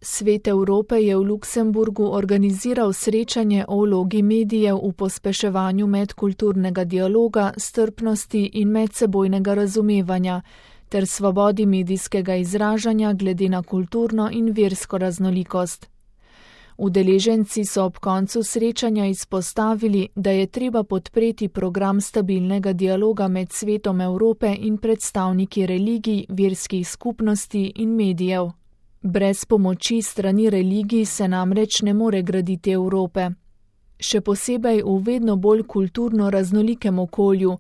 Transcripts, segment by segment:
Svet Evrope je v Luksemburgu organiziral srečanje o vlogi medijev v pospeševanju medkulturnega dialoga, strpnosti in medsebojnega razumevanja ter svobodi medijskega izražanja glede na kulturno in versko raznolikost. Udeleženci so ob koncu srečanja izpostavili, da je treba podpreti program stabilnega dialoga med Svetom Evrope in predstavniki religij, verskih skupnosti in medijev. Brez pomoči strani religij se namreč ne more graditi Evrope. Še posebej v vedno bolj kulturno raznolikem okolju,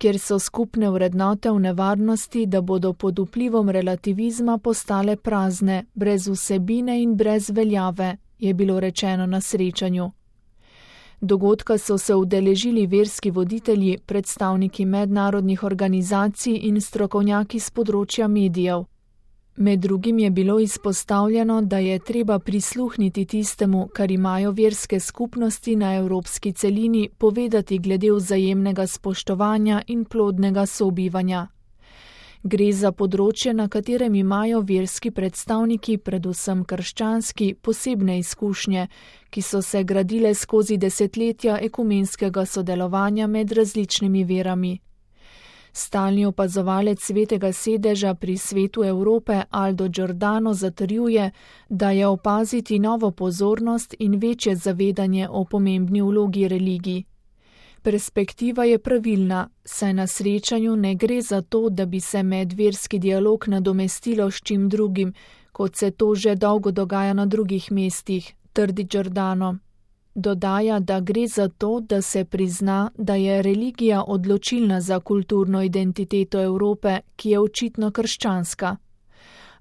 kjer so skupne vrednote v nevarnosti, da bodo pod vplivom relativizma postale prazne, brez vsebine in brez veljave, je bilo rečeno na srečanju. Dogodka so se udeležili verski voditelji, predstavniki mednarodnih organizacij in strokovnjaki s področja medijev. Med drugim je bilo izpostavljeno, da je treba prisluhniti tistemu, kar imajo verske skupnosti na evropski celini povedati glede vzajemnega spoštovanja in plodnega sobivanja. Gre za področje, na katerem imajo verski predstavniki, predvsem krščanski, posebne izkušnje, ki so se gradile skozi desetletja ekumenskega sodelovanja med različnimi verami. Stalni opazovalec Svetega sedeža pri Svetu Evrope Aldo Giordano zatrjuje, da je opaziti novo pozornost in večje zavedanje o pomembni vlogi religij. Perspektiva je pravilna, saj na srečanju ne gre za to, da bi se medverski dialog nadomestilo s čim drugim, kot se to že dolgo dogaja na drugih mestih, trdi Giordano. Dodaja, da gre za to, da se prizna, da je religija odločilna za kulturno identiteto Evrope, ki je očitno krščanska.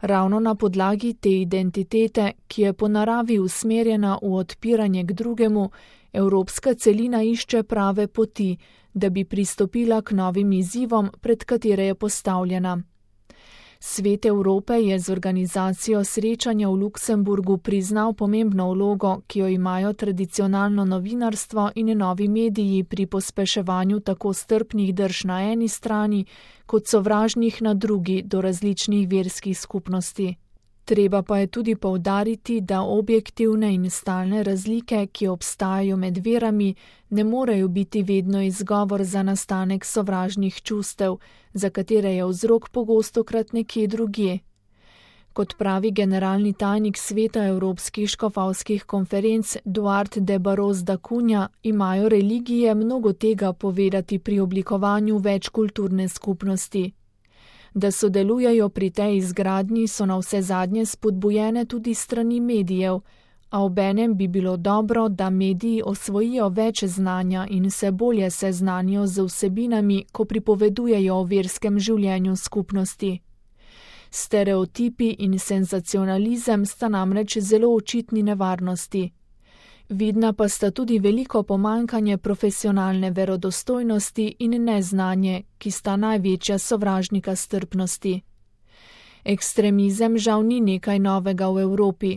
Ravno na podlagi te identitete, ki je po naravi usmerjena v odpiranje k drugemu, evropska celina išče prave poti, da bi pristopila k novim izzivom, pred katere je postavljena. Svet Evrope je z organizacijo srečanja v Luksemburgu priznal pomembno vlogo, ki jo imajo tradicionalno novinarstvo in novi mediji pri pospeševanju tako strpnih drž na eni strani, kot sovražnih na drugi do različnih verskih skupnosti. Treba pa je tudi poudariti, da objektivne in stalne razlike, ki obstajajo med verami, ne morejo biti vedno izgovor za nastanek sovražnih čustev, za katere je vzrok pogostokrat nekje drugje. Kot pravi generalni tajnik Sveta evropskih škofovskih konferenc Duarte de Barros da Cunha, imajo religije mnogo tega povedati pri oblikovanju večkulturne skupnosti. Da sodelujejo pri tej izgradnji, so navsezadnje spodbujene tudi strani medijev, a obenem bi bilo dobro, da mediji osvojijo več znanja in se bolje seznanijo z vsebinami, ko pripovedujejo o verskem življenju skupnosti. Stereotipi in senzacionalizem sta namreč zelo očitni nevarnosti. Vidna pa sta tudi veliko pomanjkanje profesionalne verodostojnosti in neznanje, ki sta največja sovražnika strpnosti. Ekstremizem žal ni nekaj novega v Evropi.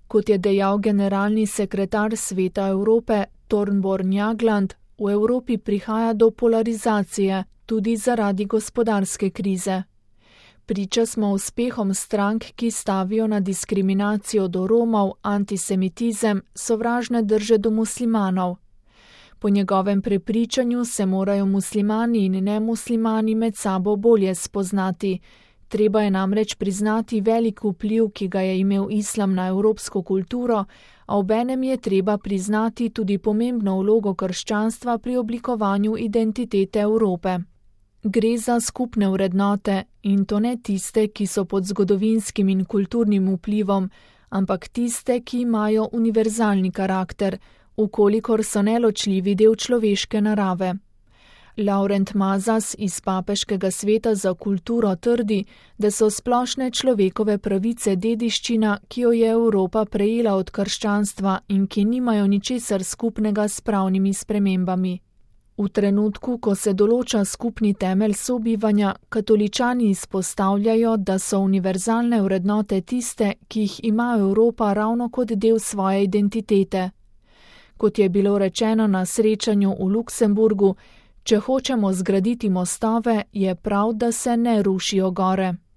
Kot je dejal generalni sekretar Sveta Evrope Thornborn Jagland, v Evropi prihaja do polarizacije, tudi zaradi gospodarske krize. Priča smo uspehom strank, ki stavijo na diskriminacijo do Romov, antisemitizem, sovražne drže do muslimanov. Po njegovem prepričanju se morajo muslimani in nemuslimani med sabo bolje spoznati. Treba je namreč priznati velik vpliv, ki ga je imel islam na evropsko kulturo, a obenem je treba priznati tudi pomembno vlogo krščanstva pri oblikovanju identitete Evrope. Gre za skupne vrednote, in to ne tiste, ki so pod zgodovinskim in kulturnim vplivom, ampak tiste, ki imajo univerzalni karakter, ukolikor so neločljivi del človeške narave. Laurent Mazas iz Papeškega sveta za kulturo trdi, da so splošne človekove pravice dediščina, ki jo je Evropa prejela od krščanstva in ki nimajo ničesar skupnega s pravnimi spremembami. V trenutku, ko se določa skupni temelj sobivanja, katoličani izpostavljajo, da so univerzalne vrednote tiste, ki jih ima Evropa ravno kot del svoje identitete. Kot je bilo rečeno na srečanju v Luksemburgu, če hočemo zgraditi mostove, je prav, da se ne rušijo gore.